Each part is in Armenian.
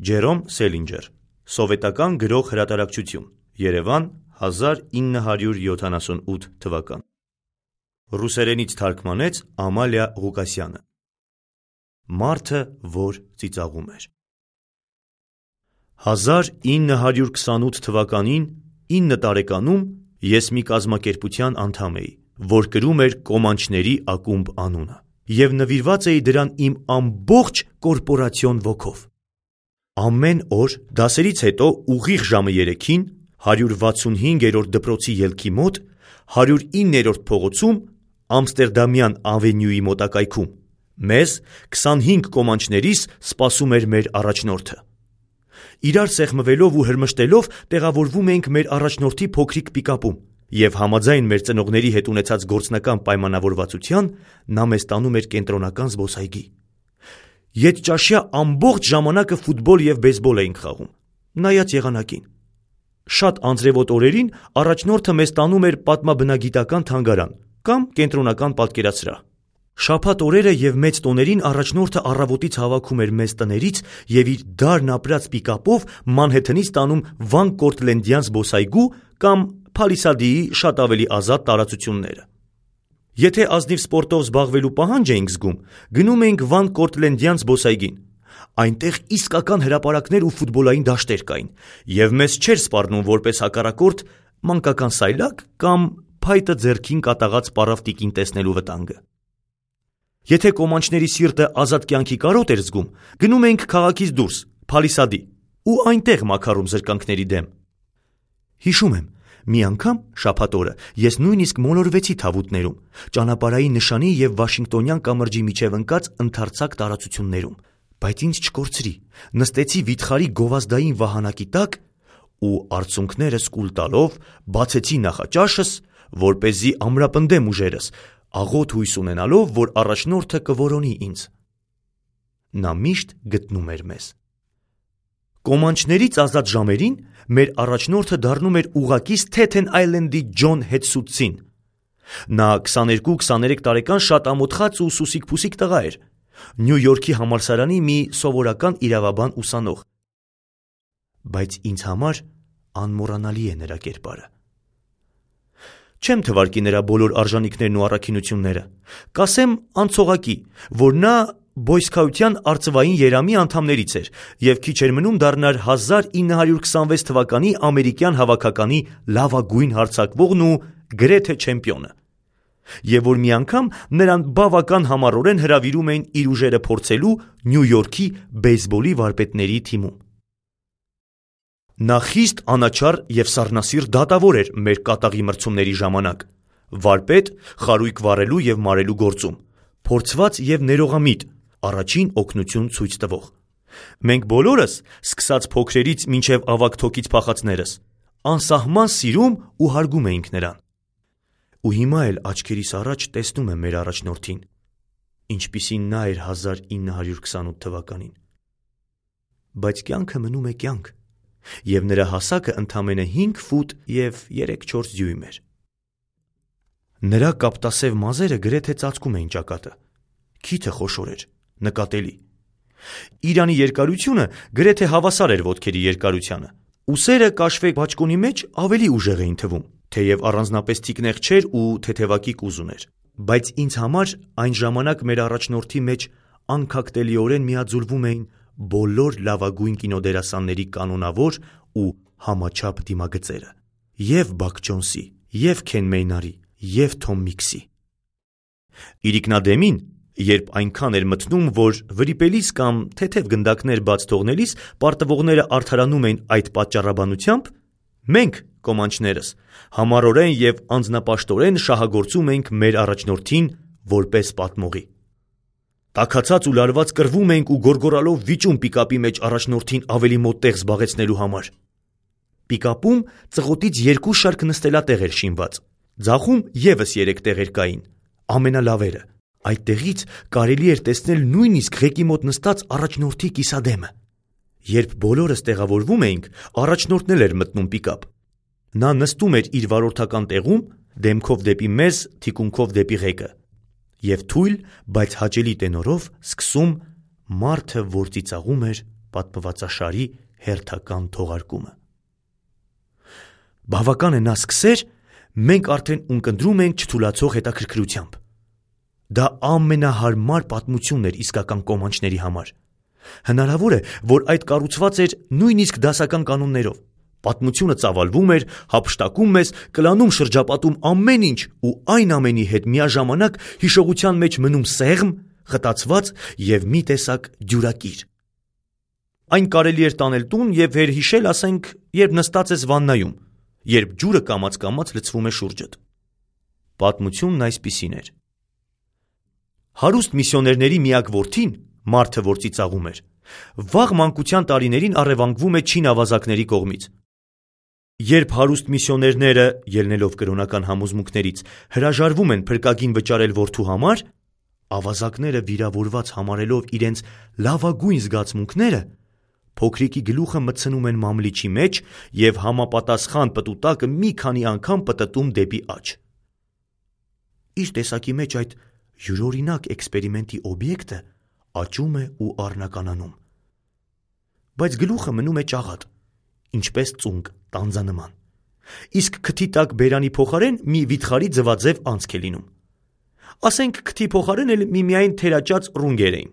Ջերոմ Սելինջեր, Սովետական գրող հրատարակչություն, Երևան, 1978 թվական։ Ռուսերենից թարգմանեց Ամալիա Ղուկասյանը։ Մարդը, որ ծիծաղում էր։ 1928 թվականին 9 տարեկանում ես մի կազմակերպության անդամ էի, որ կրում էր Կոմանչների ակումբ անունը, և նվիրված էի դրան իմ ամբողջ կորպորացիոն ոգով։ Ամեն օր դասերից հետո ուղիղ ժամը 3-ին 165-րդ դպրոցի ելքի մոտ 109-րդ փողոցում Ամստերդամյան ավենյուի մոտակայքում մեզ 25 կոմանչներիս սպասում էր մեր առաջնորդը։ Իրար սեղմվելով ու հրմշտելով տեղավորվում էինք մեր առաջնորդի փոքրիկ պիկապում, և համաձայն մեր ծնողների հետ ունեցած գործնական պայմանավորվածության նա մեզ տանում էր կենտրոնական զբոսայգի։ Ետճաշյա ամբողջ ժամանակը ֆուտբոլ և բեյսբոլ էինք խաղում, նայած եղանակին։ Շատ անձրևոտ օրերին առաջնորդը մեզ տանում էր պատմաբնագիտական թանգարան կամ կենտրոնական պատկերասրահ։ Շաբաթ օրերը և մեծ տոներին առաջնորդը առավոտից հավաքում էր մեզ տներից և իր դարն ապրած պիկապով Մանհեթենից տանում Վան Կորտլենդյան զբոսայգու կամ Փալիսադիի շատ ավելի ազատ տարածությունները։ Եթե ազնիվ սպորտով զբաղվելու պահանջ էինք զգում, գնում էինք Վան Կորտլենդյան զբոսայգին։ Այնտեղ իսկական հրապարակներ ու ֆուտբոլային դաշտեր կային, և մեզ չէր սպառնում որպես հակառակորդ մանկական սայլակ կամ փայտը ձեռքին կատաղած պառավ տիկին տեսնելու վտանգը։ Եթե կոմանչների սիրտը ազատ կյանքի կարոտ էր զգում, գնում էինք քաղաքից դուրս, Փալիսադի, ու այնտեղ մաքարում զրկանքների դեմ։ Հիշում եմ, մի անգամ շաբաթ օրը ես նույնիսկ մոլորվեցի Թավուտներում, ճանապարհային նշանի և Վաշինգտոնյան կամրջի միջև ընկած ընդարձակ տարածություններում, բայց ինձ չկորցրի, նստեցի վիթխարի գովազդային վահանակի տակ ու արցունքներս կուլ տալով բացեցի նախաճաշս, որպեսզի ամրապնդեմ ուժերս, աղոտ հույս ունենալով, որ առաջնորդը կորոնի ինձ։ Նա միշտ գտնում էր մեզ։ Կոմանչներից ազատ ժամերին մեր առաջնորդը դառնում էր ուղղակի Սթեթեն Այլենդի Ջոն Հետսուցին։ Նա 22-23 տարեկան շատ ամոթխած ու սուսիկ-փուսիկ տղա էր, Նյու Յորքի համալսարանի մի սովորական իրավաբան ուսանող, բայց ինձ համար անմոռանալի է նրա կերպարը։ Չեմ թվարկի նրա բոլոր արժանիքներն ու առաքինությունները, կասեմ անցողակի, որ նա բոյսքաության արծվային երամի անդամներից էր և քիչ էր մնում դառնար 1926 թվականի ամերիկյան հավաքականի լավագույն հարձակվողն ու գրեթե չեմպիոնը, և որ մի անգամ նրան բավական համառորեն հրավիրում էին իր ուժերը փորձելու Նյու Յորքի բեյսբոլի վարպետների թիմում։ Նա խիստ անաչառ և սառնասիրտ դատավոր էր մեր կատաղի մրցումների ժամանակ, վարպետ խարույկ վառելու և մարելու գործում, փորձված և ներողամիտ, առաջին օգնություն ցույց տվող։ Մենք բոլորս, սկսած փոքրերից մինչև ավագ թոքից փախածներս, անսահման սիրում ու հարգում էինք նրան։ Ու հիմա էլ աչքերիս առաջ տեսնում եմ մեր առաջնորդին, ինչպիսին նա էր 1928 թվականին։ Բայց կյանքը մնում է կյանք, և նրա հասակը ընդամենը 5 ֆուտ և 3-4 դյույմ էր։ Նրա կապտասև մազերը գրեթե ծածկում էին ճակատը, քիթը խոշոր էր, նկատելի։ Իրանի երկարությունը գրեթե հավասար էր ոտքերի երկարությանը, ուսերը կաշվե բաճկոնի մեջ ավելի ուժեղ էին թվում, թեև առանձնապես թիկնեղ չէր ու թեթևակի կուզ ուներ, բայց ինձ համար այն ժամանակ մեր առաջնորդի մեջ անքակտելիորեն միաձուլվում էին բոլոր լավագույն կինոդերասանների կանոնավոր ու համաչափ դիմագծերը, և Բաք Ջոնսի, և Քեն Մեյնարի, և Թոմ Միքսի։ Իրիկնադեմին, երբ այնքան էր մթնում, որ վրիպելիս կամ թեթև գնդակներ բաց թողնելիս պարտվողները արդարանում էին այդ պատճառաբանությամբ, մենք, կոմանչներս, համառորեն և անձնապաշտորեն շահագործում էինք մեր առաջնորդին որպես պատմողի։ Տաքացած ու լարված կռվում էինք ու գոռգոռալով վիճում պիկապի մեջ առաջնորդին ավելի մոտ տեղ զբաղեցնելու համար։ Պիկապում ծղոտից 2 շարք նստելատեղ էր շինված, ձախում ևս 3 տեղեր կային, ամենալավերը։ Այդտեղից կարելի էր տեսնել նույնիսկ ղեկի մոտ նստած առաջնորդի կիսադեմը։ Երբ բոլորս տեղավորվում էինք, առաջնորդն էլ էր մտնում պիկապ։ Նա նստում էր իր վարորդական տեղում, դեմքով դեպի մեզ, թիկունքով դեպի ղեկը, և թույլ, բայց հաճելի տենորով սկսում «Մարդը, որ ծիծաղում էր» պատմվածաշարի հերթական թողարկումը։ Բավական է նա սկսեր, մենք արդեն ունկնդրում ենք չթուլացող հետաքրքրությամբ։ Դա ամենահարմար պատմությունն էր իսկական կոմանչների համար։ Հնարավոր է, որ այդ կառուցված էր նույնիսկ դասական կանոններով։ Պատմությունը ծավալվում էր, հափշտակում մեզ, կլանում շրջապատում ամեն ինչ ու այն ամենի հետ միաժամանակ հիշողության մեջ մնում սեղմ, խտացված և մի տեսակ դյուրակիր։ Այն կարելի էր տանել տուն և վերհիշել, ասենք, երբ նստած ես վաննայում, երբ ջուրը կամաց-կամաց լցվում է շուրջդ։ Պատմությունն այսպիսին էր. հարուստ միսիոներների միակ որդին, մարդը, որ ծիծաղում էր, վաղ մանկության տարիներին առևանգվում է չին ավազակների կողմից։ Երբ հարուստ միսիոներները, ելնելով կրոնական համոզմունքներից, հրաժարվում են փրկագին վճարել որդու համար, ավազակները վիրավորված համարելով իրենց լավագույն զգացմունքները, փոքրիկի գլուխը մտցնում են մամլիչի մեջ և համապատասխան պտուտակը մի քանի անգամ պտտում դեպի աջ։ Իր տեսակի մեջ այդ յուրօրինակ էքսպերիմենտի օբյեկտը աճում է ու առնականանում։ Բայց գլուխը մնում է ճաղատ, ինչպես ծունկ տանձանման, իսկ քթի տակ բերանի փոխարեն մի վիթխարի ձվաձև անցք է լինում։ Ասենք քթի փոխարեն էլ միմիայն թերաճած ռունգեր էին։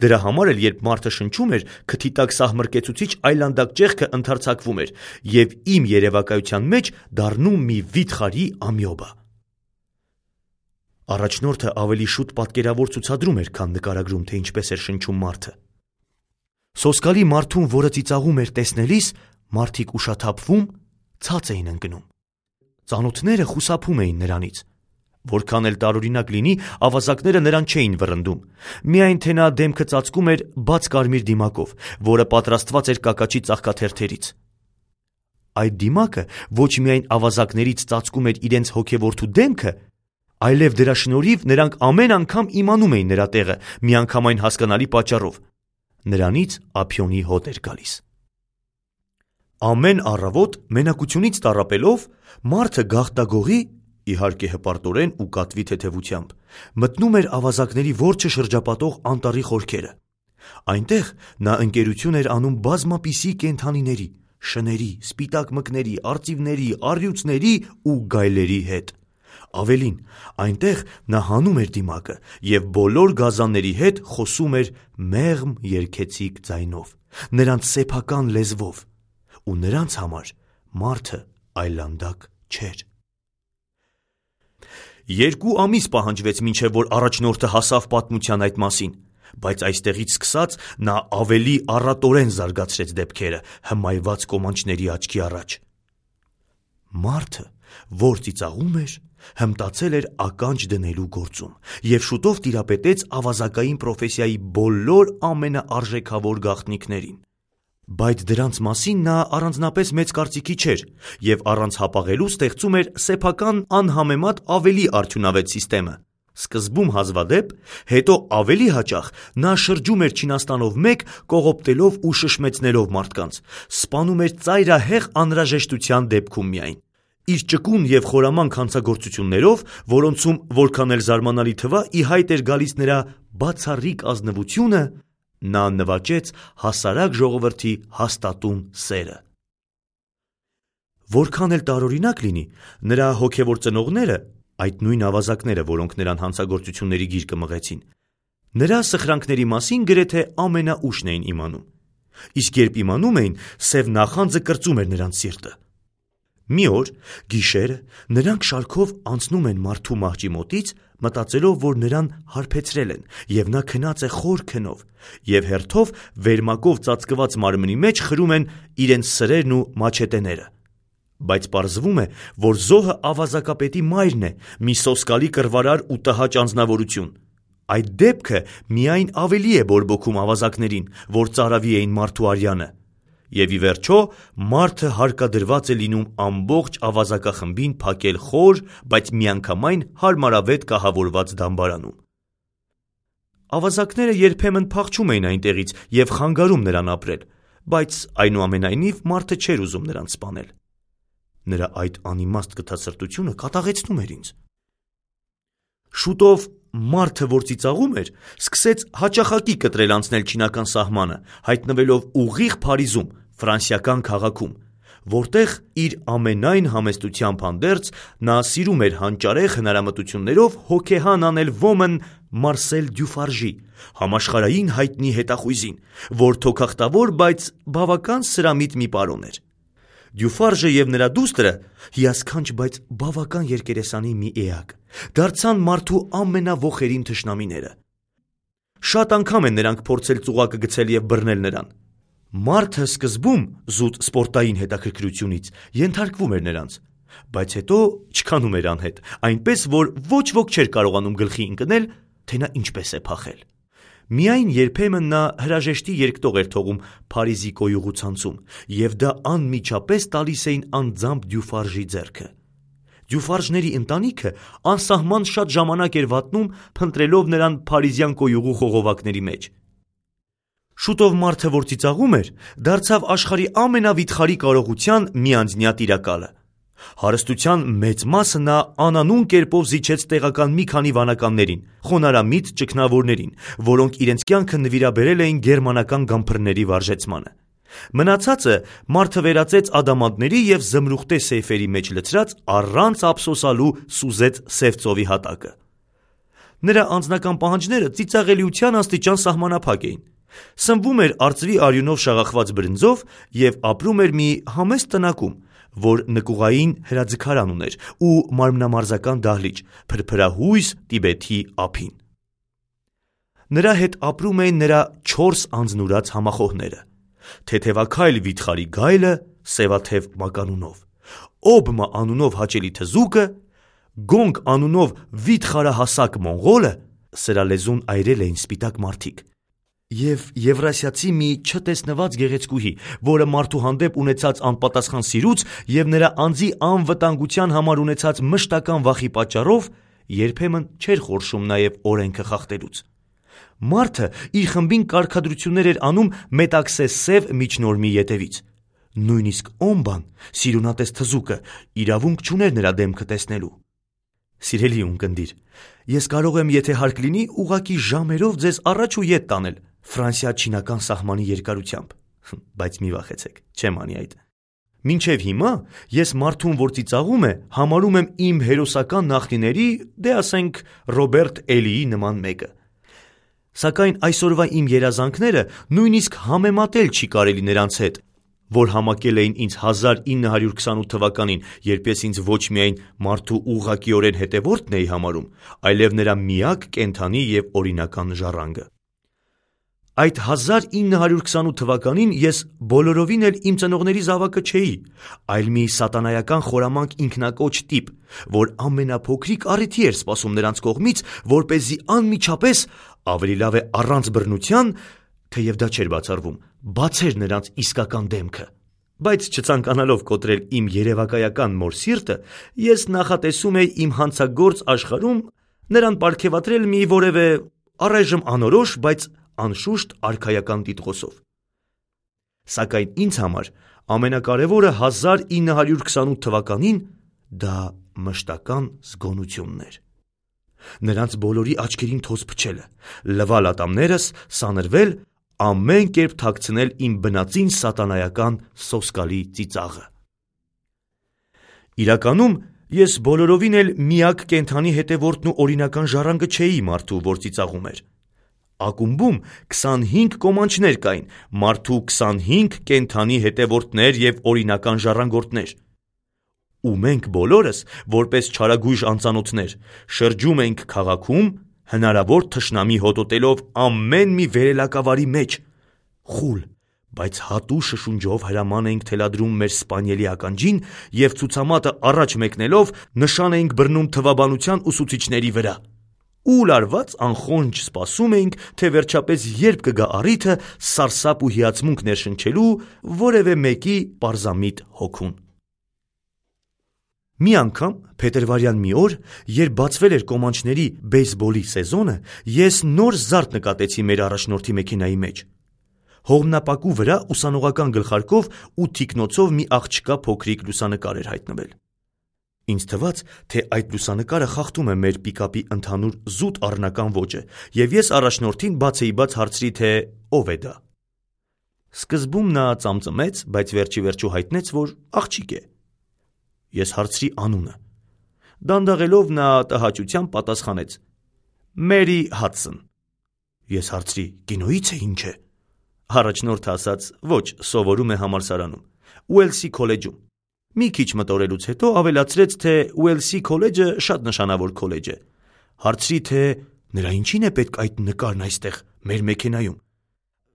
Դրա համար էլ երբ մարդը շնչում էր, քթի տակ սահմռկեցուցիչ այլանդակ ճեղքը ընդարձակվում էր և իմ երևակայության մեջ դառնում մի վիթխարի ամյոբա։ Առաջնորդը ավելի շուտ պատկերավոր ցուցադրում էր, քան նկարագրում, թե ինչպես էր շնչում մարդը։ Սոսկալի մարդուն, որը ծիծաղում էր տեսնելիս, մարդիկ ուշաթափվում, ցած էին ընկնում։ Ծանոթները խուսափում էին նրանից։ Որքան էլ տարօրինակ լինի, ավազակները նրան չէին վռնդում։ Միայն թե նա դեմքը ծածկում էր բաց կարմիր դիմակով, որը պատրաստված էր կակաչի ծաղկաթերթերից։ Այդ դիմակը ոչ միայն ավազակներից ծածկում էր իրենց հոգևորթու դեմքը, այլև դրա շնորհիվ նրանք ամեն անգամ իմանում էին նրա տեղը, միանգամայն հասկանալի պատճառով։ Նրանից ափիոնի հոտ էր գալիս։ Ամեն առավոտ մենակությունից տառապելով, մարդը գաղտագողի, իհարկե հպարտորեն ու կատվի թեթևությամբ, մտնում էր ավազակների որջը շրջապատող անտառի խորքերը։ Այնտեղ նա ընկերություն էր անում բազմապիսի կենդանիների, շների, սպիտակ մկների, արծիվների, առյուծների ու գայլերի հետ։ Ավելին, այնտեղ նա հանում էր դիմակը և բոլոր գազանների հետ խոսում էր մեղմ երգեցիկ ձայնով, նրանց սեփական լեզվով, ու նրանց համար մարդը այլանդակ չէր։ 2 ամիս պահանջվեց, մինչև որ առաջնորդը հասավ պատմության այդ մասին, բայց այստեղից սկսած նա ավելի առատորեն զարգացրեց դեպքերը հմայված կոմանչների աչքի առաջ։ Մարդը, որ ծիծաղում էր, հմտացել էր ականջ դնելու գործում և շուտով տիրապետեց ավազակային պրոֆեսիայի բոլոր ամենաարժեքավոր գաղտնիքներին։ Բայց դրանց մասին նա առանձնապես մեծ կարծիքի չէր և առանց հապաղելու ստեղծում էր սեփական անհամեմատ ավելի արդյունավետ սիստեմը։ Սկզբում հազվադեպ, հետո ավելի հաճախ նա շրջում էր Չինաստանով մեկ, կողոպտելով ու շշմեցնելով մարդկանց, սպանում էր ծայրահեղ անհրաժեշտության դեպքում միայն։ Իր ճկուն և խորամանկ հանցագործություններով, որոնցում որքան էլ զարմանալի թվա, ի հայտ էր գալիս նրա բացառիկ ազնվությունը, նա նվաճեց հասարակ ժողովրդի հաստատուն սերը։ Որքան էլ տարօրինակ լինի, նրա հոգևոր ծնողները, այդ նույն ավազակները, որոնք նրան հանցագործությունների գիրկը մղեցին, նրա սխրանքների մասին գրեթե ամենաուշն էին իմանում։ Իսկ երբ իմանում էին, սև նախանձը կրծում էր նրանց սիրտը։ Մի օր, գիշերը, նրանք շարքով անցնում են մարդու մահճի մոտից, մտածելով, որ նրան հարբեցրել են, և նա քնած է խոր քնով, և հերթով վերմակով ծածկված մարմնի մեջ խրում են իրենց սրերն ու մաչետեները։ Բայց պարզվում է, որ զոհը ավազակապետի մայրն է, մի սոսկալի կռվարար ու տհաճ անձնավորություն։ Այդ դեպքը միայն ավելի է բորբոքում ավազակներին, որ ծարավի էին մարդու արյանը։ Եվ ի վերջո, մարդը հարկադրված է լինում ամբողջ ավազակախմբին փակել խոր, բայց միանգամայն հարմարավետ կահավորված դամբարանում։ Ավազակները երբեմն փախչում էին այնտեղից և խանգարում նրան ապրել, բայց այնուամենայնիվ մարդը չէր ուզում նրանց սպանել։ Նրա այդ անիմաստ գթասրտությունը կատաղեցնում էր ինձ։ Շուտով մարդը, որ ծիծաղում էր, սկսեց հաճախակի կտրել անցնել չինական սահմանը, հայտնվելով ուղիղ Փարիզում, ֆրանսիական քաղաքում, որտեղ իր ամենայն համեստությամբ հանդերձ նա սիրում էր հանճարեղ հնարամտություններով հոգեհան անել ոմն Մարսել Դյուֆարժի, համաշխարհային հայտնի հետախույզին, որ թոքախտավոր, բայց բավական սրամիտ մի պարոն էր։ Դյուֆարժը և նրա դուստրը, հիասքանչ, բայց բավական երկերեսանի մի էակ, դարձան մարդու ամենավոխերին թշնամիները։ Շատ անգամ են նրանք փորձել ծուղակը գցել և բռնել նրան։ Մարդը սկզբում, զուտ սպորտային հետաքրքրությունից, ենթարկվում էր նրանց, բայց հետո չքանում էր անհետ, այնպես որ ոչ ոք չէր կարողանում գլխի ընկնել, թե նա ինչպես է փախել։ Միայն երբեմն նա հրաժեշտի երկտող էր թողում Փարիզի կոյուղու ցանցում, և դա անմիջապես տալիս էին անձամբ Դյուֆարժի ձեռքը։ Դյուֆարժների ընտանիքը անսահման շատ ժամանակ էր վատնում, փնտրելով նրան փարիզյան կոյուղու խողովակների մեջ։ Շուտով մարդը, որ ծիծաղում էր, դարձավ աշխարհի ամենավիթխարի կարողության միանձնյա տիրակալը։ Հարստության մեծ մասը նա անանուն կերպով զիջեց տեղական մի քանի վանականներին, խոնարհամիտ ճգնավորներին, որոնք իրենց կյանքը նվիրաբերել էին գերմանական գամփրների վարժեցմանը։ Մնացածը մարդը վերածեց ադամանդների և զմրուխտե սեյֆերի մեջ լցրած առանց ափսոսալու սուզեց Սև ծովի հատակը։ Նրա անձնական պահանջները ծիծաղելիության աստիճան սահմանափակ էին։ Սնվում էր արծվի արյունով շաղախված բրնձով և ապրում էր մի համեստ տնակում, որ նկուղային հրաձգարան ուներ ու մարմնամարզական դահլիճ, փրփրահույս տիբեթի ափին։ Նրա հետ ապրում էին նրա 4 անձնուրաց համախոհները՝ թեթևաքայլ վիթխարի գայլը սևաթև մականունով, Օբմա անունով հաճելի թզուկը, Գոնգ անունով վիթխարահասակ մոնղոլը, սրա լեզուն այրել էին սպիտակ մարդիկ, և եվրասիացի մի չտեսնված գեղեցկուհի, որը մարդու հանդեպ ունեցած անպատասխան սիրուց և նրա անձի անվտանգության համար ունեցած մշտական վախի պատճառով երբեմն չէր խորշում նաև օրենքը խախտելուց։ Մարդը իր խմբին կարգադրություններ էր անում մետաքսե սև միջնորմի ետևից։ Նույնիսկ Օմբան, սիրունատես թզուկը, իրավունք չուներ նրա դեմքը տեսնելու։ Սիրելի ունկնդիր, ես կարող եմ, եթե հարկ լինի, ուղղակի ժամերով ձեզ առաջ ու ետ տանել Ֆրանսիա-չինական սահմանի երկարությամբ, բայց մի վախեցեք, չեմ անի այդ։ Մինչև հիմա ես մարդուն, որ ծիծաղում է, համարում եմ իմ հերոսական նախնիների, դե ասենք Ռոբերտ Էլիի նման մեկը։ Սակայն այսօրվա իմ երազանքները նույնիսկ համեմատել չի կարելի նրանց հետ, որ համակել էին ինձ 1928 թվականին, երբ ես ինձ ոչ միայն մարդու ուղղակիորեն հետևորդն էի համարում, այլև նրա միակ կենդանի և օրինական ժառանգը։ Այդ 1928 թվականին ես բոլորովին էլ իմ ծնողների զավակը չէի, այլ մի սատանայական խորամանկ ինքնակոչ տիպ, որ ամենափոքրիկ առիթի էր սպասում նրանց կողմից, որպեսզի անմիջապես, ավելի լավ է առանց բռնության, թեև դա չէր բացառվում, բացեր նրանց իսկական դեմքը։ Բայց չցանկանալով կոտրել իմ երևակայական մոր սիրտը, ես նախատեսում էի իմ հանցագործ աշխարհում նրան պարգևատրել մի որևէ առայժմ անորոշ, բայց անշուշտ արքայական տիտղոսով։ Սակայն ինձ համար ամենակարևորը 1928 թվականին դա մշտական զգոնությունն էր։ Նրանց բոլորի աչքերին թոզ փչելը, լվալ ատամներս, սանրվել, ամեն կերպ թաքցնել իմ բնածին սատանայական սոսկալի ծիծաղը։ Իրականում ես բոլորովին էլ միակ կենդանի հետևորդն ու օրինական ժառանգը չէի մարդու, որ ծիծաղում էր։ Ակումբում 25 կոմանչներ կային, մարդու 25 կենդանի հետևորդներ և օրինական ժառանգորդներ։ Ու մենք բոլորս, որպես չարագույժ անծանոթներ, շրջում էինք քաղաքում, հնարավոր թշնամի հոտոտելով ամեն մի վերելակավարի մեջ, խուլ, բայց հատու շշունջով հրաման էինք թելադրում մեր սպանիելի ականջին և ցուցամատը առաջ մեկնելով նշան էինք բռնում թվաբանության ուսուցիչների վրա։ Ու լարված անխոնջ սպասում էինք, թե վերջապես երբ կգա առիթը սարսափ ու հիացմունք ներշնչելու որևէ մեկի պարզամիտ հոգուն։ Մի անգամ, փետրվարյան մի օր, երբ բացվել էր կոմանչների բեյսբոլի սեզոնը, ես նոր զարդ նկատեցի մեր առաջնորդի մեքենայի մեջ։ Հողմնապակու վրա ուսանողական գլխարկով ու թիկնոցով մի աղջկա փոքրիկ լուսանկար էր հայտնվել։ Ինձ թվաց, թե այդ լուսանկարը խախտում է մեր պիկապի ընդհանուր զուտ առնական ոճը, և ես առաջնորդին բացեիբաց հարցրի, թե ով է դա։ Սկզբում նա ծամծմեց, բայց վերջիվերջո հայտնեց, որ աղջիկ է։ Ես հարցրի անունը։ Դանդաղելով նա տհաճությամբ պատասխանեց. Մերի Հադսոն։ Ես հարցրի. կինոից է, ինչ է։ Առաջնորդը ասաց. ոչ, սովորում է համալսարանում, Ուելսի քոլեջում։ Մի քիչ մտորելուց հետո ավելացրեց, թե Ուելսի քոլեջը շատ նշանավոր քոլեջ է։ Հարցրի, թե նրա ինչին է պետք այդ նկարն այստեղ, մեր մեքենայում։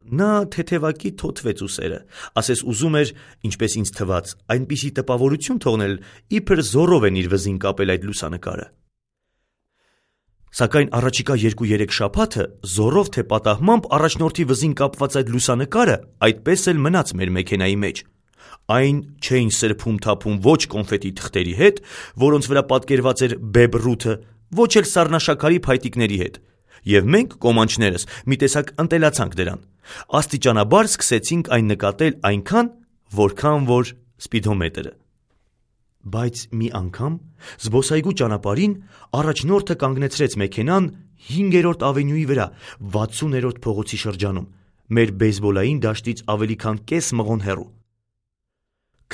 Նա թեթևակի թոթվեց ուսերը, ասես ուզում էր, ինչպես ինձ թվաց, այնպիսի տպավորություն թողնել, իբր զոռով են իր վզին կապել այդ լուսանկարը։ Սակայն առաջիկա 2-3 շաբաթը զոռով թե պատահմամբ առաջնորդի վզին կապված այդ լուսանկարը այդպես էլ մնաց մեր մեքենայի մեջ։ Այն չէին սրբում-թափում ոչ կոնֆետի թղթերի հետ, որոնց վրա պատկերված էր Բեբ ոչ էլ սառնաշաքարի փայտիկների հետ, և մենք, կոմանչներս, մի տեսակ ընտելացանք դրան։ Աստիճանաբար սկսեցինք այն նկատել այնքան, որքան որ սպիդոմետրը։ Բայց մի անգամ զբոսայգու ճանապարհին առաջնորդը կանգնեցրեց մեքենան 5-րդ ավենյուի վրա, 60-րդ փողոցի շրջանում, մեր բեյսբոլային դաշտից ավելի քան կես մղոն հեռու։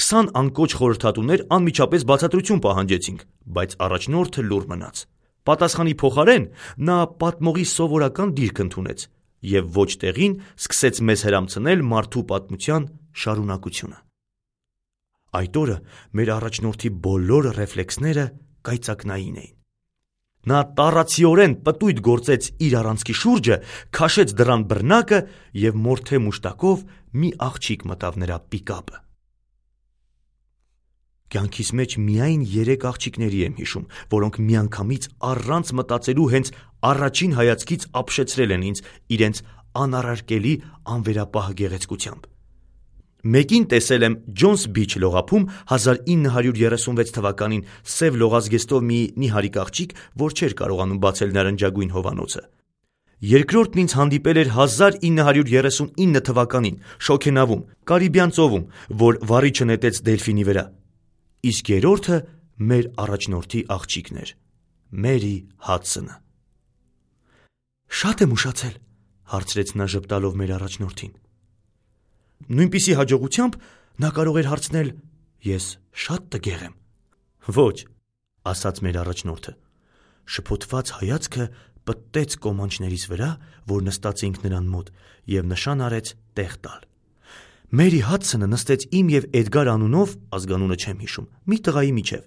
20 անկոչ խորհրդատուներ անմիջապես բացատրություն պահանջեցինք, բայց առաջնորդը լուռ մնաց։ Պատասխանի փոխարեն նա պատմողի սովորական դիրք ընդունեց և ոչ տեղին սկսեց մեզ հրամցնել մարդու պատմության շարունակությունը։ Այդ օրը մեր առաջնորդի բոլոր ռեֆլեքսները կայծակնային էին։ Նա տառացիորեն պտույտ գործեց իր առանցքի շուրջը, քաշեց դռան բռնակը և մորթե մուշտակով մի աղջիկ մտավ նրա պիկապը։ Կյանքիս մեջ միայն 3 աղջիկների եմ հիշում, որոնք միանգամից առանց մտածելու հենց առաջին հայացքից ապշեցրել են ինձ իրենց անառարկելի անվերապահ գեղեցկությամբ։ Մեկին տեսել եմ Ջոնս Բիչ լողափում 1936 թվականին սև լողազգեստով մի նիհարիկ աղջիկ, որ չէր կարողանում բացել նարնջագույն հովանոցը։ Երկրորդն ինձ հանդիպել էր 1939 թվականին Շոքենավում, Կարիբյան ծովում, որ վառիչը նետեց դելֆինի վրա։ Իսկ երրորդը մեր առաջնորդի աղջիկն էր, Մերի Հադսոնը։ Շատ եմ ուշացել, հարցրեց նա ժպտալով մեր առաջնորդին։ Նույնպիսի հաջողությամբ նա կարող էր հարցնել. ես շատ տգեղ եմ։ Ոչ, ասաց մեր առաջնորդը։ Շփոթված հայացքը պտտեց կոմանչներիս վրա, որ նստած էինք նրան մոտ, և նշան արեց տեղ տալ։ Մերի Հադսոնը նստեց իմ և Էդգար անունով, ազգանունը չեմ հիշում, մի տղայի միջև։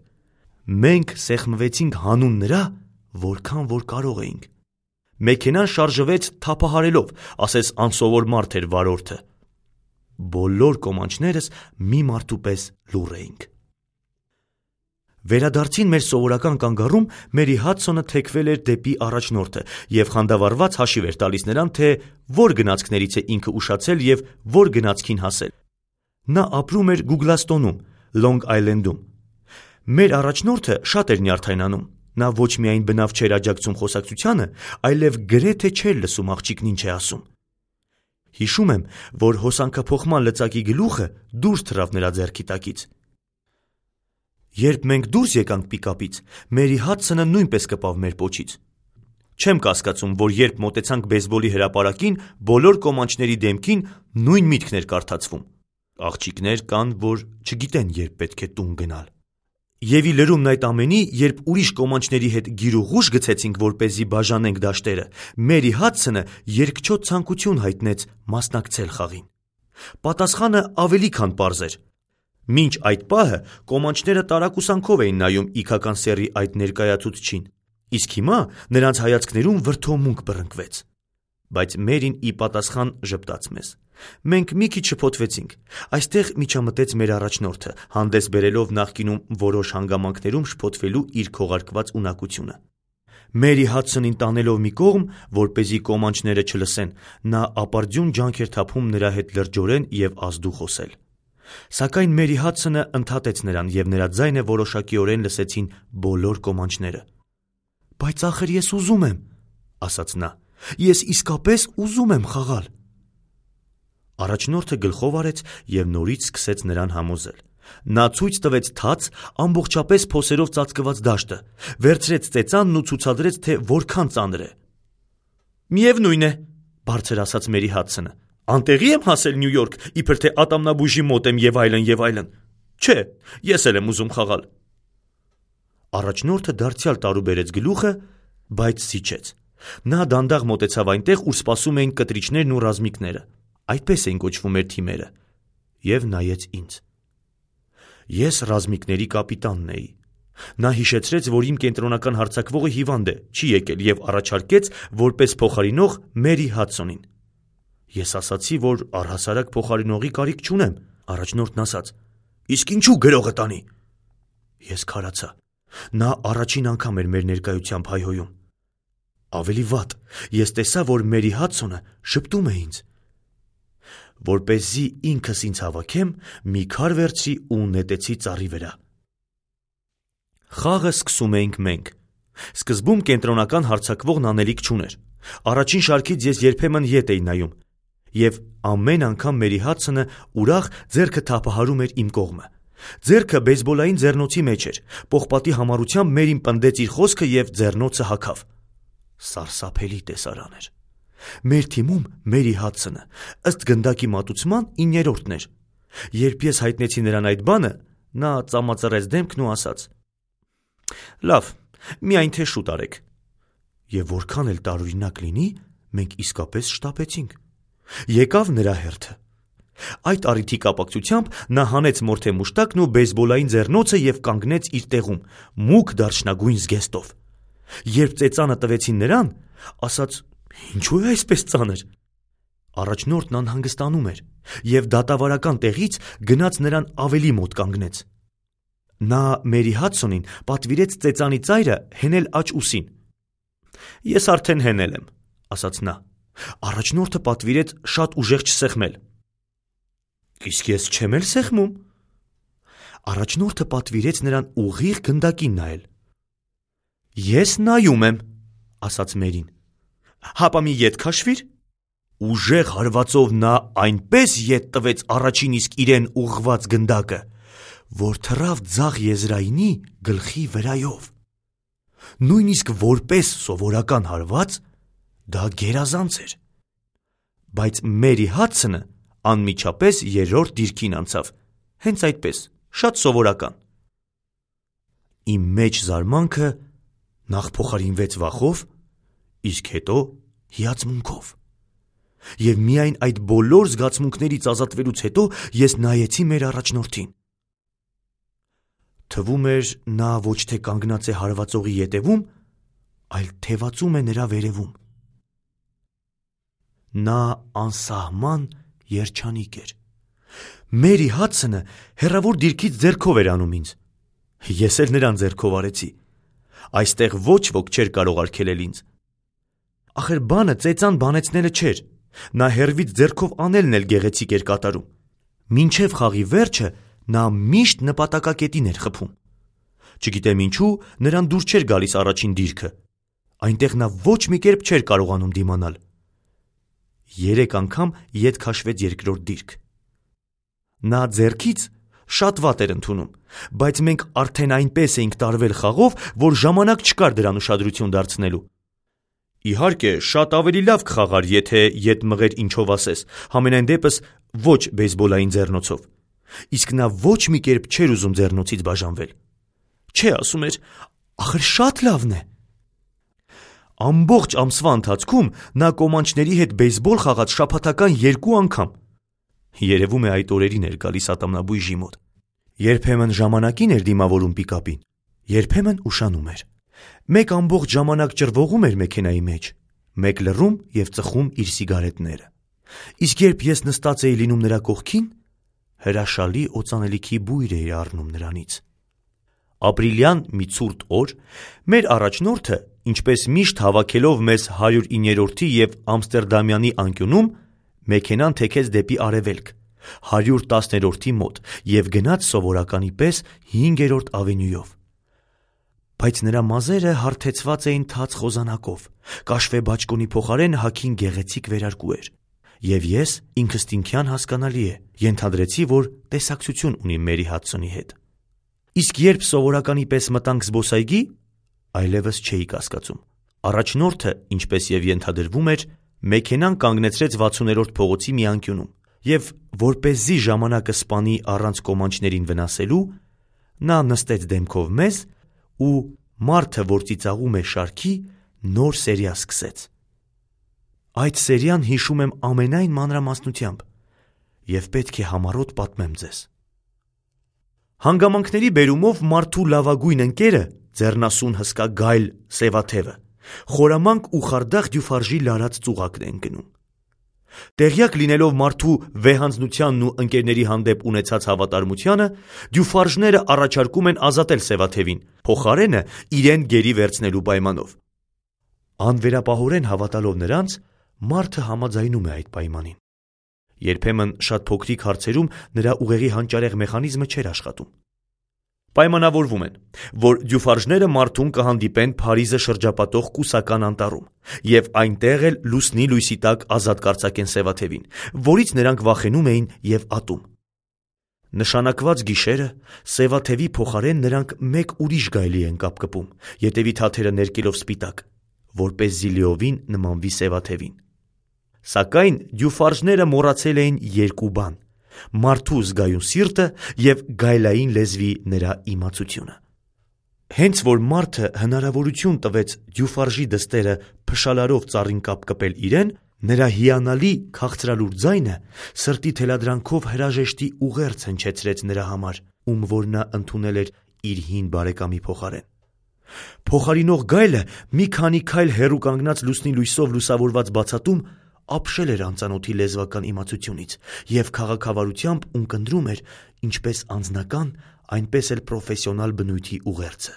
Մենք սեղմվեցինք հանուն նրա, որքան որ կարող էինք։ Մեքենան շարժվեց թափահարելով, ասես անսովոր մարդ էր վարորդը։ Բոլոր կոմանչներս մի մարդու պես լուռ էինք։ Վերադարձին մեր սովորական կանգառում Մերի Հադսոնը թեքվել էր դեպի առաջնորդը և խանդավառված հաշիվ էր տալիս նրան, թե որ գնացքներից է ինքը ուշացել և որ գնացքին հասել։ Նա ապրում էր Գուգլաստոնում, Լոնգ Այլենդում։ Մեր առաջնորդը շատ էր նյարդայնանում։ Նա ոչ միայն բնավ չէր աջակցում խոսակցությանը, այլև գրեթե չէր լսում աղջիկն ինչ է ասում։ Հիշում եմ, որ հոսանքափոխման լծակի գլուխը դուրս թռավ նրա ձեռքի տակից։ Երբ մենք դուրս եկանք պիկապից, Մերի Հադսոնը նույնպես կպավ մեր պոչից։ Չեմ կասկածում, որ երբ մոտեցանք բեյսբոլի հրապարակին, բոլոր կոմանչների դեմքին նույն միտքն էր կարդացվում։ Աղջիկներ կան, որ չգիտեն, երբ պետք է տուն գնալ։ Եվ ի լրումն այդ ամենի, երբ ուրիշ կոմանչների հետ գիրուղուշ գցեցինք, որպեսզի բաժանենք դաշտերը, Մերի Հադսոնը երկչոտ ցանկություն հայտնեց մասնակցել խաղին։ Պատասխանը ավելի քան պարզ էր։ Մինչ այդ պահը կոմանչները տարակուսանքով էին նայում իգական սեռի այդ ներկայացուցչին, իսկ հիմա նրանց հայացքներում վրդովմունք բռնկվեց։ Բայց Մերին ի պատասխան ժպտաց մեզ։ Մենք մի քիչ շփոթվեցինք։ Այստեղ միջամտեց մեր առաջնորդը, հանդես բերելով նախկինում որոշ հանգամանքներում շփոթվելու իր քողարկված ունակությունը։ Մերի Հադսոնին տանելով մի կողմ, որպեսզի կոմանչները չլսեն, նա ապարդյուն ջանք էր թափում նրա հետ լրջորեն և ազդու խոսել։ Սակայն Մերի Հադսոնը ընդհատեց նրան, և նրա ձայնը որոշակիորեն լսեցին բոլոր կոմանչները։ Բայց ախր ես ուզում եմ, ասաց նա, ես իսկապես ուզում եմ խաղալ։ Առաջնորդը գլխով արեց և նորից սկսեց նրան համոզել։ Նա ցույց տվեց թաց ամբողջապես փոսերով ծածկված դաշտը, վերցրեց ծեծանն ու ցուցադրեց, թե որքան ծանր է։ «Միևնույն է», բարձր ասաց Մերի Հադսոնը, «անտեղի եմ հասել Նյու Յորք, իբր թե ատամնաբույժի մոտ եմ եւ այլն եւ այլն։ Չէ, ես էլ եմ ուզում խաղալ»։ Առաջնորդը դարձյալ տարուբերեց գլուխը, բայց զիջեց։ Նա դանդաղ մոտեցավ այնտեղ, ուր սպասում էին կտրիչներն ու ռազմիկները, այդպես էին կոչվում մեր թիմերը, եւ նայեց ինձ։ Ես ռազմիկների կապիտանն էի։ Նա հիշեցրեց, որ իմ կենտրոնական հարձակվողը հիվանդ է, չի եկել եւ առաջարկեց որպես փոխարինող Մերի Հադսոնին։ Ես ասացի, որ առհասարակ փոխարինողի կարիք չունեմ։ Առաջնորդն ասաց. «Իսկ ինչու գրողը տանի»։ Ես քարացա։ Նա առաջին անգամ էր մեր ներկայությամբ հայհոյում։ Ավելի վատ, ես տեսա, որ Մերի Հադսոնը շփտում է ինձ։ Որպեսզի ինքս ինձ հավաքեմ, մի քար վերցրի ու նետեցի ծառի վրա։ Խաղը սկսում էինք մենք։ Սկզբում կենտրոնական հարձակվողն անելիք չուներ։ Առաջին շարքից ես երբեմն ետ էի նայում, եւ ամեն անգամ Մերի Հադսոնը ուրախ ձեռքը թափահարում էր իմ կողմը։ Ձեռքը բեյսբոլային ձեռնոցի մեջ էր, պողպատի համառությամբ Մերին պնդեց իր խոսքը եւ ձեռնոցը հագավ։ Սարսափելի տեսարան էր։ Մեր թիմում Մերի Հադսոնը ըստ գնդակի մատուցման 9-րդն էր։ Երբ ես հայտնեցի նրան այդ բանը, նա ծամածրեց դեմքն ու ասաց. «Լավ, միայն թե շուտ արեք»։ Եվ որքան էլ տարօրինակ լինի, մենք իսկապես շտապեցինք։ Եկավ նրա հերթը։ Այդ առիթի կապակցությամբ նա հանեց մորթե մուշտակն ու բեյսբոլային ձեռնոցը եւ կանգնեց իր տեղում, մուգ դարչնագույն զգեստով։ Երբ ծեծանը տվեցին նրան, ասաց. «Ինչու է այսպես ծանր»։ Առաջնորդն անհանգստանում էր եւ դատավարական տեղից գնաց նրան ավելի մոտ կանգնեց։ Նա Մերի Հադսոնին պատվիրեց ծեծանի ծայրը հենել աջ ուսին։ «Ես արդեն հենել եմ», ասաց նա։ Առաջնորդը պատվիրեց շատ ուժեղ չսեղմել։ «Իսկ ես չեմ էլ սեղմում»։ Առաջնորդը պատվիրեց նրան ուղիղ գնդակին նայել։ «Ես նայում եմ», ասաց Մերին։ «Հապա մի ետ քաշվիր»։ Ուժեղ հարվածով նա այնպես ետ տվեց առաջին իսկ իրեն ուղղված գնդակը, որ թռավ ձախ եզրայինի գլխի վրայով։ Նույնիսկ որպես սովորական հարված դա գերազանց էր։ Բայց Մերի Հադսոնը անմիջապես երրորդ դիրքին անցավ, հենց այդպես, շատ սովորական։ Իմ մեջ զարմանքը նախ փոխարինվեց վախով, իսկ հետո հիացմունքով։ Եվ միայն այդ բոլոր զգացմունքներից ազատվելուց հետո ես նայեցի մեր առաջնորդին։ Թվում էր, նա ոչ թե կանգնած է հարվածողի ետևում, այլ թևածում է նրա վերևում։ Նա անսահման երջանիկ էր։ Մերի Հադսոնը հեռավոր դիրքից ձեռքով էր անում ինձ։ Ես էլ նրան ձեռքով արեցի։ Այստեղ ոչ ոք չէր կարող արգելել ինձ։ Ախր բանը ծեծան բանեցնելը չէր։ Նա հեռվից ձեռքով անելն էլ գեղեցիկ էր կատարում։ Մինչև խաղի վերջը նա միշտ նպատակակետին էր խփում։ Չգիտեմ ինչու, նրան դուր չէր գալիս առաջին դիրքը։ Այնտեղ նա ոչ մի կերպ չէր կարողանում դիմանալ։ 3 անգամ ետ քաշվեց երկրորդ դիրք։ Նա ձեռքից շատ վատ էր ընդունում, բայց մենք արդեն այնպես էինք տարվել խաղով, որ ժամանակ չկար դրան ուշադրություն դարձնելու։ Իհարկե, շատ ավելի լավ կխաղար, եթե ետ մղեր ինչով ասես, համենայն դեպս ոչ բեյսբոլային ձեռնոցով։ Իսկ նա ոչ մի կերպ չէր ուզում ձեռնոցից բաժանվել։ Չէ, ասում էր, ախր շատ լավն է։ Ամբողջ ամսվա ընթացքում նա կոմանչների հետ բեյսբոլ խաղաց շաբաթական 2 անգամ։ Երևում է այդ օրերին էր գալիս ատամնաբույժի մոտ։ Երբեմն ժամանակին էր դիմավորում պիկապին, երբեմն ուշանում էր։ Մեկ ամբողջ ժամանակ ճռվողում էր մեքենայի մեջ, մեկ լռում եւ ծխում իր սիգարետները։ Իսկ երբ ես նստած էի լինում նրա կողքին, հրաշալի օծանելիքի բույր էի առնում նրանից։ Ապրիլյան մի ցուրտ օր մեր առաջնորդը, ինչպես միշտ հավաքելով մեզ 109-րդի եւ Ամստերդամյանի անկյունում, մեքենան թեքեց դեպի արևելք, 110-րդի մոտ եւ գնաց սովորականի պես 5-րդ ավենյուով։ Բայց նրա մազերը հարթեցված էին թաց խոզանակով, կաշվե բաճկոնի փոխարեն հագին գեղեցիկ վերարկու էր։ Եվ ես ինքստինքյան հասկանալի է, ենթադրեցի, որ տեսակցություն ունի Մերի Հադսոնի հետ։ Իսկ երբ սովորականի պես մտանք զբոսայգի, այլևս չէի կասկածում։ Առաջնորդը, ինչպես եւ ենթադրվում էր, մեքենան կանգնեցրեց 60-րդ փողոցի մի անկյունում, եւ որպեսզի ժամանակը սպանի առանց կոմանչներին վնասելու, նա նստեց դեմքով մեզ ու մարդը, որ ծիծաղում է շարքի, նոր սերիա սկսեց։ Այդ սերիան հիշում եմ ամենայն մանրամասնությամբ եւ պետք է համառոտ պատմեմ ձեզ։ Հանգամանքների բերումով մարդու լավագույն ընկերը ձեռնասուն հսկա գայլ սևաթևը խորամանկ ու խարդախ դյուֆարժի լարած ծուղակն են գնում։ Տեղյակ լինելով մարդու վեհանձնությանն ու ընկերների հանդեպ ունեցած հավատարմությանը, դյուֆարժները առաջարկում են ազատել սևաթևին, փոխարենը իրեն գերի վերցնելու պայմանով։ Անվերապահորեն հավատալով նրանց, մարդը համաձայնում է այդ պայմանին։ Երբեմն շատ փոքրիկ հարցերում նրա ուղեղի հանճարեղ մեխանիզմը չէր աշխատում։ Պայմանավորվում են, որ դյուֆարժները մարդուն կհանդիպեն Փարիզը շրջապատող կուսական անտառում եւ այնտեղ էլ լուսնի լույսի տակ ազատ կարձակեն սևաթևին, որից նրանք վախենում էին եւ ատում։ Նշանակված գիշերը սևաթևի փոխարեն նրանք մեկ ուրիշ գայլի են կապկպում, ետևի թաթերը ներկելով սպիտակ, որպեսզի լիովին նմանվի սևաթևին։ Սակայն դյուֆարժները մոռացել էին երկու բան՝ մարդու զգայուն սիրտը եւ գայլային լեզվի նրա իմացությունը։ Հենց որ մարդը հնարավորություն տվեց դյուֆարժի դստերը փշալարով ծառին կապկպել իրեն, նրա հիանալի քաղցրալուր ձայնը սրտի թելադրանքով հրաժեշտի ուղերձ հնչեցրեց նրա համար, ում որ նա ընդունել էր իր հին բարեկամի փոխարեն։ Փոխարինող գայլը մի քանի քայլ հեռու կանգնած լուսնի լույսով լուսավորված բացատում ապշել էր անծանոթի լեզվական իմացությունից եւ քաղաքավարությամբ ունկնդրում էր ինչպես անձնական, այնպես էլ պրոֆեսիոնալ բնույթի ուղերձը։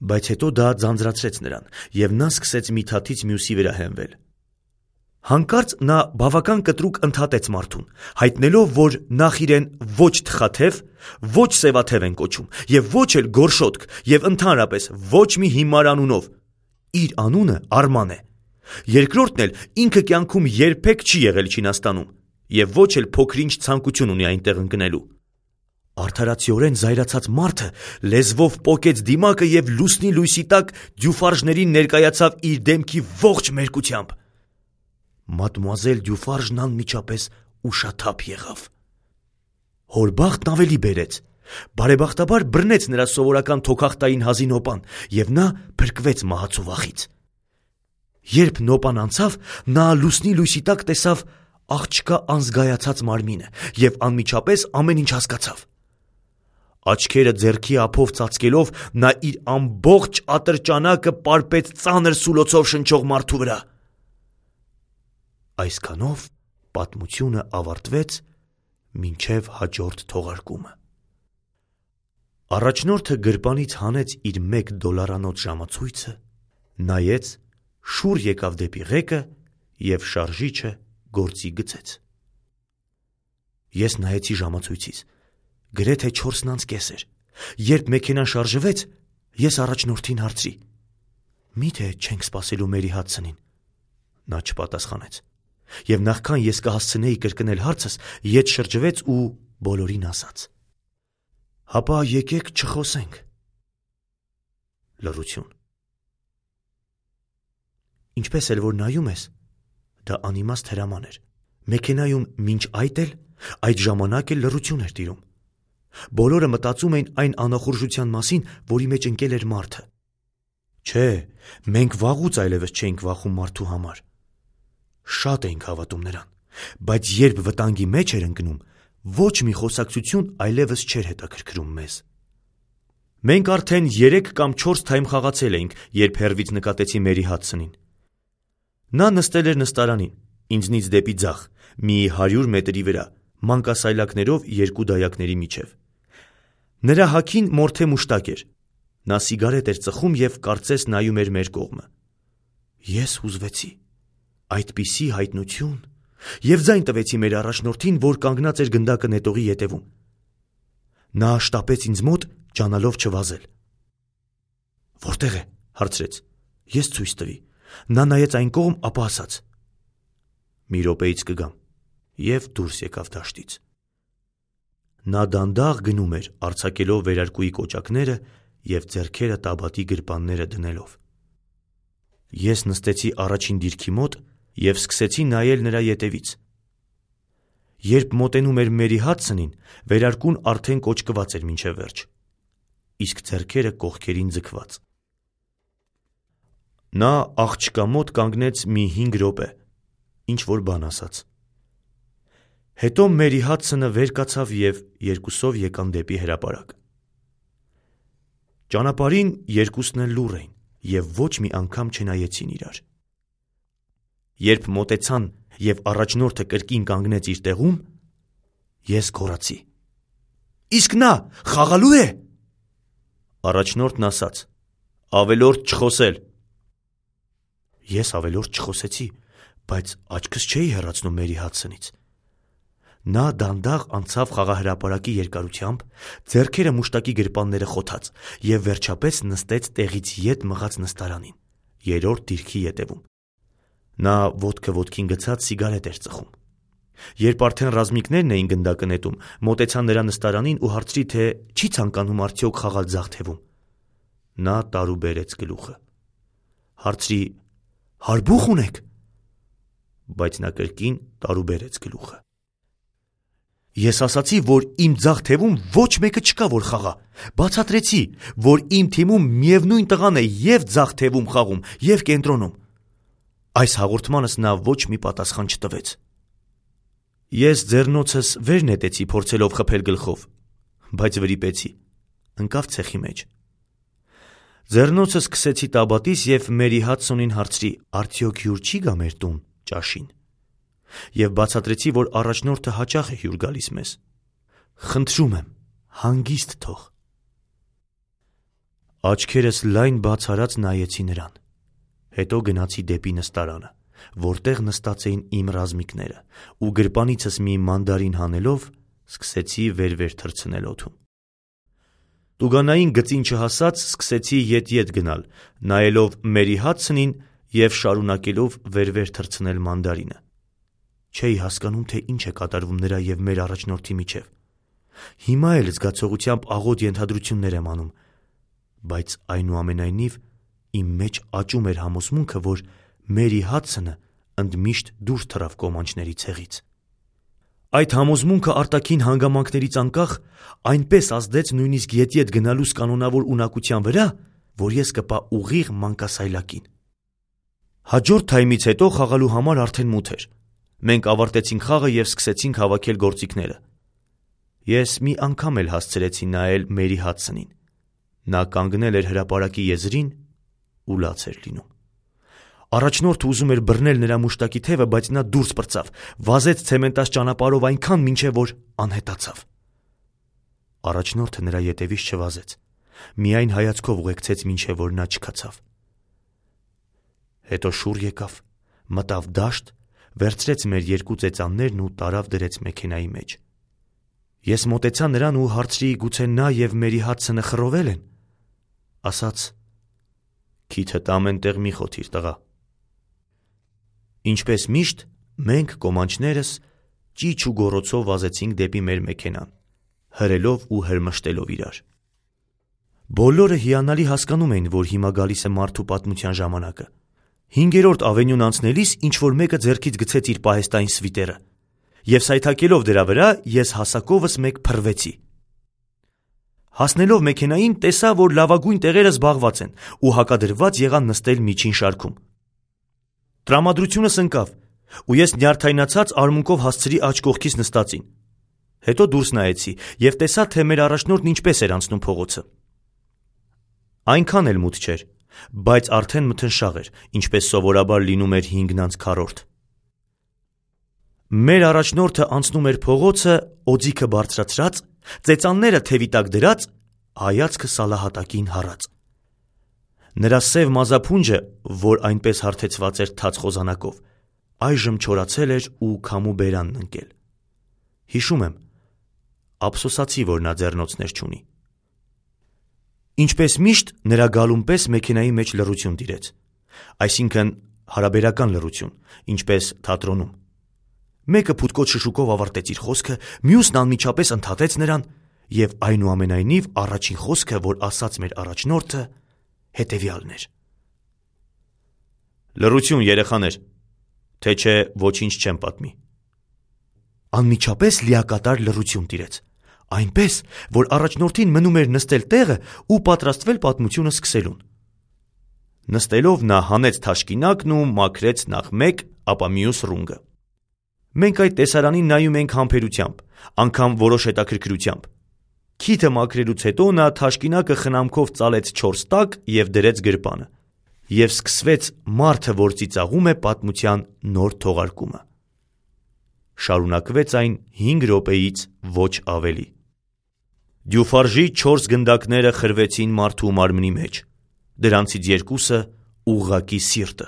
Բայց հետո դա ձանձրացրեց նրան եւ նա սկսեց մի թաթից մյուսի վրա հենվել։ Հանկարծ նա բավական կտրուկ ընդհատեց մարդուն, հայտնելով, որ նախ իրեն ոչ թխաթև, ոչ սևաթև են կոչում եւ ոչ էլ գորշոտք եւ ընդհանրապես ոչ մի հիմար անունով։ Իր անունը Արման է։ Երկրորդն էլ ինքը կյանքում երբեք չի եղել Չինաստանում եւ ոչ էլ փոքրինչ ցանկություն ունի այնտեղ ընկնելու։ Արդարացիորեն զայրացած մարդը լեզվով պոկեց դիմակը եւ լուսնի լույսի տակ դյուֆարժներին ներկայացավ իր դեմքի ողջ մերկությամբ։ Մադմուազել Դյուֆարժն անմիջապես ուշաթափ եղավ։ Հորբախտն ավելի բերեց։ Բարեբախտաբար բռնեց նրա սովորական թոքախտային հազի նոպան եւ նա փրկվեց մահացու վախից։ Երբ նոպան անցավ, նա լուսնի լույսի տակ տեսավ աղջկա անզգայացած մարմինը եւ անմիջապես ամեն ինչ հասկացավ։ Աչքերը ձեռքի ափով ծածկելով նա իր ամբողջ ատրճանակը պարպեց ծանր սուլոցով շնչող մարդու վրա։ Այսքանով պատմությունը ավարտվեց մինչև հաջորդ թողարկումը։ Առաջնորդը գրպանից հանեց իր $1 ժամացույցը, նայեց, շուռ եկավ դեպի ղեկը եւ շարժիչը գործի գցեց։ Ես նայեցի ժամացույցից, գրեթե 4:30 էր։ Երբ մեքենան շարժվեց, ես առաջնորդին հարցրի. «Միթե չենք սպասելու Մերի Հադսոնին»։ Նա չպատասխանեց։ Եվ նախքան ես կհասցնեի կրկնել հարցս, ետ շրջվեց ու բոլորին ասաց. «Հապա եկեք չխոսենք»։ Լռություն։ Ինչպես էլ որ նայում ես, դա անիմաստ հրաման էր։ Մեքենայում մինչ այդ ժամանակ էլ լռություն էր տիրում։ Բոլորը մտածում էին այն անախորժության մասին, որի մեջ ընկել էր մարդը։ Չէ, մենք վաղուց այլևս չէինք վախում մարդու համար։ Շատ էինք հավատում նրան, բայց երբ վտանգի մեջ էր ընկնում, ոչ մի խոսակցություն այլևս չէր հետաքրքրում մեզ։ Մենք արդեն 3 կամ 4 թայմ խաղացել էինք, երբ հեռվից նկատեցի Մերի Հադսոնին։ Նա նստել էր նստարանին, ինձնից դեպի ձախ, մի 100 մետրի վրա, մանկասայլակներով 2 դայակների միջև։ Նրա հագին մորթե մուշտակ էր։ Նա սիգարետ էր ծխում եւ կարծես նայում էր մեր կողմը։ Ես հուզվեցի։ Այդպիսի հայտնություն եւ ձայն տվեցի մեր առաջնորդին, որ կանգնած էր գնդակը նետողի ետևում։ Նա շտապեց ինձ մոտ, ջանալով չվազել։ Որտե՞ղ է, հարցրեց։ Ես ցույց տվի։ Նա նայեց այն կողմ, ապա ասաց. «Մի րոպեից կգամ, և դուրս եկավ դաշտից։ Նա դանդաղ գնում էր, արձակելով վերարկուի կոճակները և ձեռքերը տաբատի գրպանները դնելով։ Ես նստեցի առաջին դիրքի մոտ և սկսեցի նայել նրա ետևից։ Երբ մոտենում էր Մերի Հադսոնին, վերարկուն արդեն կոճկված էր մինչև վերջ, իսկ ձեռքերը կողքերին ձգված։ Նա աղջկա մոտ կանգնեց մի 5 րոպե, ինչ-որ բան ասաց։ Հետո Մերի Հադսոնը վեր կացավ և երկուսով եկան դեպի հրապարակ։ Ճանապարհին երկուսն էլ լուռ էին և ոչ մի անգամ չնայեցին իրար։ Երբ մոտեցան և առաջնորդը կրկին կանգնեց իր տեղում, ես գոռացի. «Իսկ նա խաղալու է»։ Առաջնորդն ասաց. «Ավելորդ չխոսել»։ Ես ավելորդ չխոսեցի, բայց աչքս չէի հեռացնում Մերի Հադսոնից։ Նա դանդաղ անցավ խաղահրապարակի երկարությամբ, ձեռքերը մուշտակի գրպանները խոթած, և վերջապես նստեց տեղից ետ մղած նստարանին, 3-րդ դիրքի ետևում։ Նա ոտքը ոտքին գցած սիգարետ էր ծխում։ Երբ արդեն ռազմիկներն էին գնդակը նետում, մոտեցա նրա նստարանին ու հարցրի, թե չի ցանկանում արդյոք խաղալ ձախ թևում։ Նա տարուբերեց գլուխը։ Հարցրի. «Հարբուխ ունե՞ք»։ Բայց նա կրկին տարուբերեց գլուխը։ Ես ասացի, որ իմ ձախ թևում ոչ մեկը չկա, որ խաղա։ Բացատրեցի, որ իմ թիմում միևնույն տղան է և ձախ թևում խաղում, և կենտրոնում։ Այս հաղորդմանս նա ոչ մի պատասխան չտվեց։ Ես ձեռնոցս վեր նետեցի, փորձելով խփել գլխով, բայց վրիպեցի, ընկավ ցեխի մեջ։ Ձեռնոցս քսեցի տաբատից և Մերի Հադսոնին հարցրի. «Արդյոք հյուր չի գա մեր տուն ճաշին»։ Եվ բացատրեցի, որ առաջնորդը հաճախ է հյուր գալիս մեզ։ Խնդրում եմ, հանգիստ թող։ Աչքերս լայն բաց արած նայեցի նրան։ Հետո գնացի դեպի նստարանը, որտեղ նստած էին իմ ռազմիկները, ու գրպանիցս մի մանդարին հանելով, սկսեցի վեր-վեր թռցնել օդում։ Տուգանային գծին չհասած սկսեցի ետ-ետ գնալ, նայելով Մերի Հադսոնին և շարունակելով վեր-վեր թռցնել մանդարինը։ Չէի հասկանում, թե ինչ է կատարվում նրա և մեր առաջնորդի միջև։ Հիմա էլ զգացողությամբ աղոտ ենթադրություններ եմ անում, բայց այնուամենայնիվ իմ մեջ աճում էր համոզմունքը, որ Մերի Հադսոնը ընդմիշտ դուրս թռավ կոմանչների ցեղից։ Այդ համոզմունքը արտաքին հանգամանքներից անկախ այնպես ազդեց նույնիսկ ետ-ետ գնալուս կանոնավոր ունակության վրա, որ ես կպա ուղիղ մանկասայլակին։ Հաջորդ թայմից հետո խաղալու համար արդեն մութ էր։ Մենք ավարտեցինք խաղը և սկսեցինք հավաքել գործիքները։ Ես մի անգամ էլ հասցրեցի նայել Մերի Հադսոնին։ Նա կանգնել էր հրապարակի եզրին ու լաց էր լինում։ Առաջնորդը ուզում էր բռնել նրա մուշտակի թևը, բայց նա դուրս պրծավ, վազեց ցեմենտաց ճանապարհով այնքան, մինչև որ անհետացավ։ Առաջնորդը նրա ետևից չվազեց, միայն հայացքով ուղեկցեց, մինչև որ նա չքացավ։ Հետո շուռ եկավ, մտավ դաշտ, վերցրեց մեր երկու ծեծաններն ու տարավ դրեց մեքենայի մեջ։ Ես մոտեցա նրան ու հարցրի, գուցե նա և Մերի Հադսոնը խռովել են։ Ասաց. «Քիթդ ամեն տեղ մի խոթիր, տղա»։ Ինչպես միշտ, մենք կոմանչներս ճիչ ու գոռոցով վազեցինք դեպի մեր մեքենան, հրելով ու հրմշտելով իրար։ Բոլորը հիանալի հասկանում էին, որ հիմա գալիս է մարդու պատմության ժամանակը։ 5-րդ ավենյուն անցնելիս ինչ-որ մեկը ձեռքից գցեց իր պահեստային սվիտերը, և սայթաքելով դրա վրա ես հասակովս մեկ փռվեցի։ Հասնելով մեքենային, տեսա, որ լավագույն տեղերը զբաղված են ու հակադրված եղա նստել միջին շարքում։ Տրամադրությունս ընկավ, ու ես նյարդայնացած արմունկով հասցրի աջ կողքիս նստածին։ Հետո դուրս նայեցի և տեսա, թե մեր առաջնորդն ինչպես էր անցնում փողոցը։ Այնքան էլ մութ չէր, բայց արդեն մթնշաղ էր, ինչպես սովորաբար լինում էր 5:4։ Մեր առաջնորդը անցնում էր փողոցը, օձիքը բարձրացրած, ծեծանները թևի տակ դրած, հայացքը սալահատակին հառած։ Նրա սև մազափունջը, որ այնպես հարթեցված էր թաց խոզանակով, այժմ չորացել էր ու քամու բերանն ընկել։ Հիշում եմ, ափսոսացի, որ նա ձեռնոցներ չունի։ Ինչպես միշտ, նրա գալուն պես մեքենայի մեջ լռություն տիրեց, այսինքն հարաբերական լռություն, ինչպես թատրոնում։ Մեկը փութկոտ շշուկով ավարտեց իր խոսքը, մյուսն անմիջապես ընդհատեց նրան, եւ այնուամենայնիվ առաջին խոսքը, որ ասաց մեր առաջնորդը, հետեւյալն էր. «Լռություն, երեխաներ, թե չէ ոչինչ չեմ պատմի»։ Անմիջապես լիակատար լռություն տիրեց, այնպես, որ առաջնորդին մնում էր նստել տեղը ու պատրաստվել պատմությունը սկսելուն։ Նստելով նա հանեց թաշկինակն ու մաքրեց նախ մեկ, ապա մյուս ռունգը։ Մենք այդ տեսարանին նայում ենք համբերությամբ, անգամ որոշ հետաքրքրությամբ։ Քիթը մաքրելուց հետո նա թաշկինակը խնամքով ծալեց 4 տակ և դրեց գրպանը։ Եվ սկսվեց մարդը, որ ծիծաղում է պատմության նոր թողարկումը։ Շարունակվեց այն 5 րոպեից ոչ ավելի։ Դյուֆարժի 4 գնդակները խրվեցին մարդու մարմնի մեջ, դրանցից 2-ը ուղղակի սիրտը։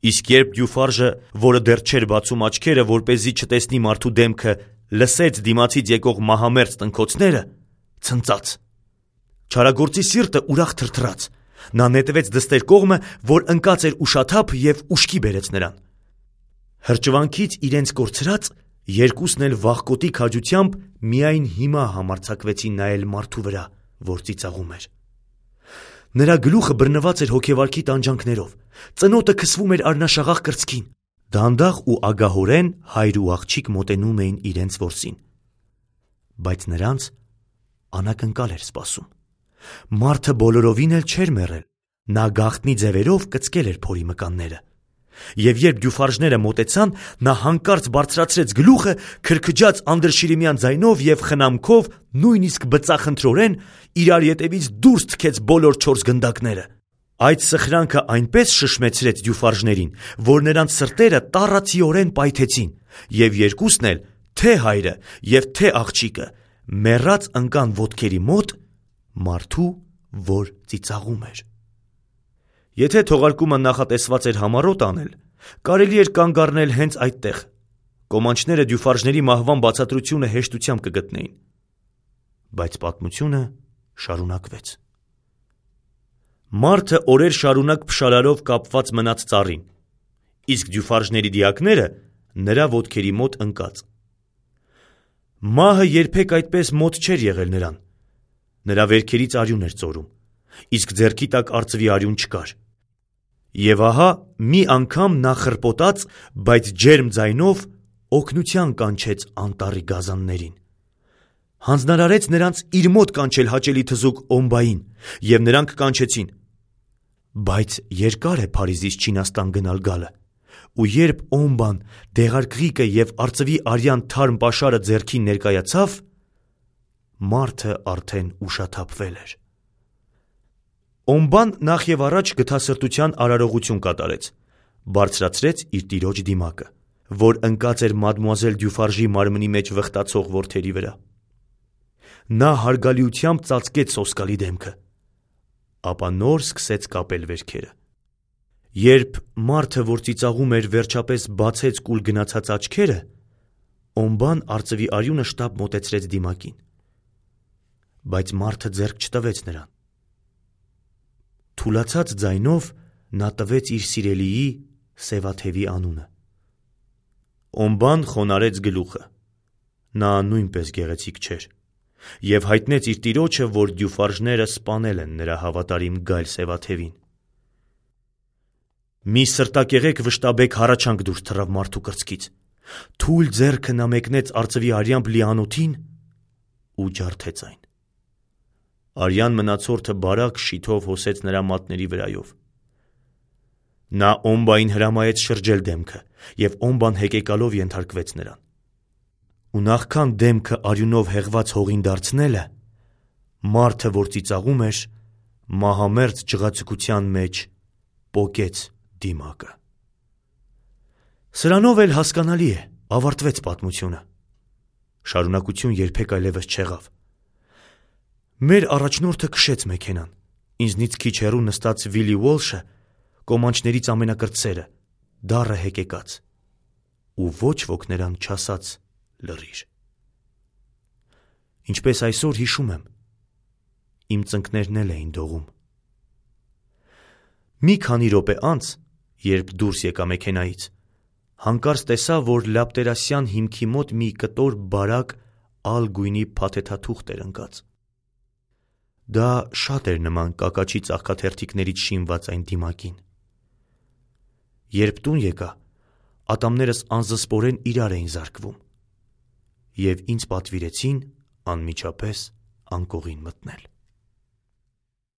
Իսկ երբ Դյուֆարժը, որը դեռ չէր բացում աչքերը, որպեսզի չտեսնի մարդու դեմքը, լսեց դիմացից եկող մահամերձ տնքոցները, ցնծաց։ Չարագործի սիրտը ուրախ թրթռաց։ Նա նետվեց դստեր կողմը, որ ընկած էր ուշաթափ և ուշքի բերեց նրան։ Հրճվանքից իրենց կորցրած, երկուսն էլ վախկոտի քաջությամբ միայն հիմա համարձակվեցին նայել մարդու վրա, որ ծիծաղում էր։ Նրա գլուխը բռնված էր հոգեվարքի տանջանքներով, ծնոտը քսվում էր արնաշաղախ կրծքին։ Դանդաղ ու ագահորեն հայր ու աղջիկ մոտենում էին իրենց որսին։ Բայց նրանց անակնկալ էր սպասում։ Մարդը բոլորովին էլ չէր մեռել, նա գաղտնի ձևերով կծկել էր փորի մկանները։ Եվ երբ Դյուֆարժները մոտեցան, նա հանկարծ բարձրացրեց գլուխը, քրքջաց անդրշիրիմյան ձայնով և խնամքով, նույնիսկ բծախնդրորեն, իրար ետևից դուրս թքեց բոլոր 4 գնդակները։ Այդ սխրանքը այնպես շշմեցրեց Դյուֆարժներին, որ նրանց սրտերը տառացիորեն պայթեցին, և երկուսն էլ, թե հայրը և թե աղջիկը, մեռած ընկան ոտքերի մոտ մարդու, որ ծիծաղում էր։ Եթե թողարկումը նախատեսված էր համառոտ անել, կարելի էր կանգ առնել հենց այդտեղ։ Կոմանչները Դյուֆարժների մահվան բացատրությունը հեշտությամբ կգտնեին։ Բայց պատմությունը շարունակվեց։ Մարդը օրեր շարունակ փշարարով կապված մնաց ծառին, իսկ Դյուֆարժների դիակները նրա ոտքերի մոտ ընկած։ Մահը երբեք այդպես մոտ չէր եղել նրան։ Նրա վերքերից արյուն էր ծորում, իսկ ձեռքի տակ արծվի արյուն չկար։ Եվ ահա մի անգամ նա խռպոտած, բայց ջերմ ձայնով օգնության կանչեց անտառի գազաններին։ Հանձնարարեց նրանց իր մոտ կանչել հաճելի թզուկ Օմբային, և նրանք կանչեցին։ Բայց երկար է Փարիզից Չինաստան գնալ գալը, ու երբ Օմբան դեղարկղիկը և արծվի արյան թարմ պաշարը ձեռքին ներկայացավ, մարդը արդեն ուշաթափվել էր։ Օմբան նախ և առաջ գթասրտության արարողություն կատարեց, բարձրացրեց իր տիրոջ դիմակը, որ ընկած էր մադմուազել Դյուֆարժի մարմնի մեջ վխտացող որդերի վրա։ Նա հարգալիությամբ ծածկեց սոսկալի դեմքը, ապա նոր սկսեց կապել վերքերը։ Երբ մարդը, որ ծիծաղում էր, վերջապես բացեց կուլ գնացած աչքերը, Օմբան արծվի արյունը շտապ մոտեցրեց դիմակին։ Բայց մարդը ձեռք չտվեց նրան։ Թուլացած ձայնով նա տվեց իր սիրելիի Սևաթևի անունը։ Օմբան խոնարհեց գլուխը։ Նա նույնպես գեղեցիկ չէր, և հայտնեց իր տիրոջը, որ Դյուֆարժները սպանել են նրա հավատարիմ գայլ Սևաթևին։ Մի սրտակեղեկ վշտաբեկ հառաչանք դուրս թռավ մարդու կրծքից։ Թույլ ձեռքը նա մեկնեց արծվի արյամբ լի անոթին ու ջարդեց այն։ Արյան մնացորդը բարակ շիթով հոսեց նրա մատների վրայով։ Նա Օմբային հրամայեց շրջել դեմքը, և Օմբան հեկեկալով ենթարկվեց նրան։ Ու նախքան դեմքը արյունով հեղված հողին դարձնելը, մարդը, որ ծիծաղում էր, մահամերձ ջղացկության մեջ պոկեց դիմակը։ Սրանով էլ հասկանալի է, ավարտվեց պատմությունը։ Շարունակություն երբեք այլևս չեղավ։ Մեր առաջնորդը քշեց մեքենան, ինձնից քիչ հեռու նստած Վիլի Ուոլշը, կոմանչներից ամենակրտսերը, դառը հեկեկած, ու ոչ ոք նրան չասաց լռիր։ Ինչպես այսօր հիշում եմ, իմ ծնկներն էլ էին դողում։ Մի քանի րոպե անց, երբ դուրս եկա մեքենայից, Հանկարծ տեսա, որ լապտերասյան հիմքի մոտ մի կտոր բարակ ալ գույնի փաթեթաթուղթ էր ընկած։ Դա շատ էր նման կակաչի ծաղկաթերթիկներից շինված այն դիմակին։ Երբ տուն եկա, ատամներս անզսպորեն իրար էին զարկվում և ինձ պատվիրեցին անմիջապես անկողին մտնել։